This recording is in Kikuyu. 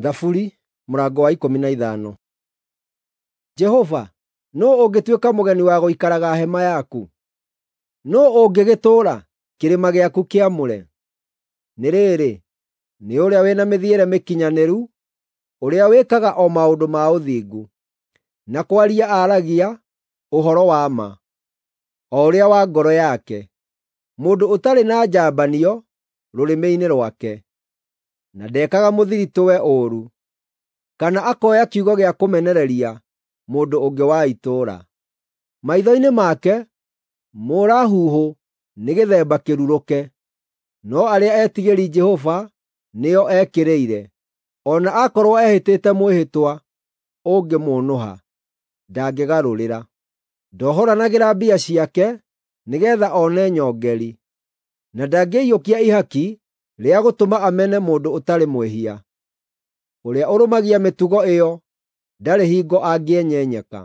Thaburi mũrango wa 15. Jehova, nũũ ũngĩtuĩka mũgeni wa gũikaraga hema yaku? Nũũ ũngĩgĩtũũra kĩrĩma gĩaku kĩamũre? Nĩ rĩrĩ, nĩ ũrĩa wĩna mĩthiĩre mĩkinyanĩru, ũrĩa wĩkaga o maũndũ ma ũthingu, na kwaria aaragia ũhoro wa ma, o ũrĩa wa ngoro yake, mũndũ ũtarĩ na njambanio rũrĩmĩ-inĩ rwake, na ndekaga mũthiritũwe ũũru, kana akoya kiugo gĩa kũmenereria mũndũ ũngĩ wa itũũra. Maitho-inĩ make mũũra-huhũ nĩ gĩthemba kĩrurũke, no arĩa etigĩri Jehova nĩo ekĩrĩire. O na akorwo ehĩtĩte mwĩhĩtwa ũngĩmũũnũha, ndangĩgarũrĩra. Ndohoranagĩra mbia ciake nĩgeetha one nyongeri, na ndangĩiyũkia ihaki rĩa gũtũma amene mũndũ ũtarĩ mwĩhia. Ũrĩa ũrũmagia mĩtugo ĩyo ndarĩ hingo angĩenyenyeka.